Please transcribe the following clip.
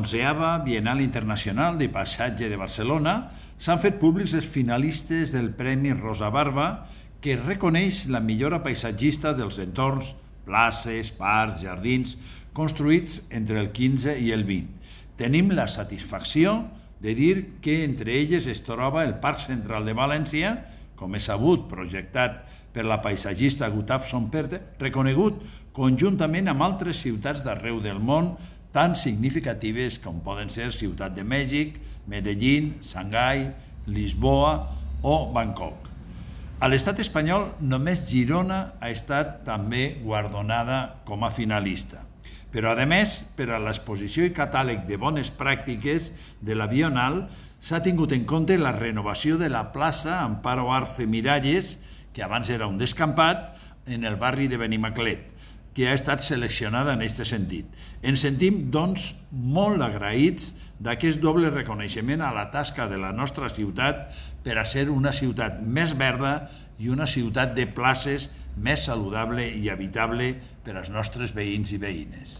11ª Bienal Internacional de Paisatge de Barcelona s'han fet públics els finalistes del Premi Rosa Barba, que reconeix la millora paisatgista dels entorns, places, parcs, jardins, construïts entre el 15 i el 20. Tenim la satisfacció de dir que entre elles es troba el Parc Central de València, com és sabut, projectat per la paisatgista Gustafsson Perthe, reconegut conjuntament amb altres ciutats d'arreu del món tan significatives com poden ser Ciutat de Mèxic, Medellín, Xangai, Lisboa o Bangkok. A l'estat espanyol, només Girona ha estat també guardonada com a finalista. Però, a més, per a l'exposició i catàleg de bones pràctiques de la Bienal, s'ha tingut en compte la renovació de la plaça Amparo Arce Miralles, que abans era un descampat, en el barri de Benimaclet, que ha estat seleccionada en aquest sentit. Ens sentim, doncs, molt agraïts d'aquest doble reconeixement a la tasca de la nostra ciutat per a ser una ciutat més verda i una ciutat de places més saludable i habitable per als nostres veïns i veïnes.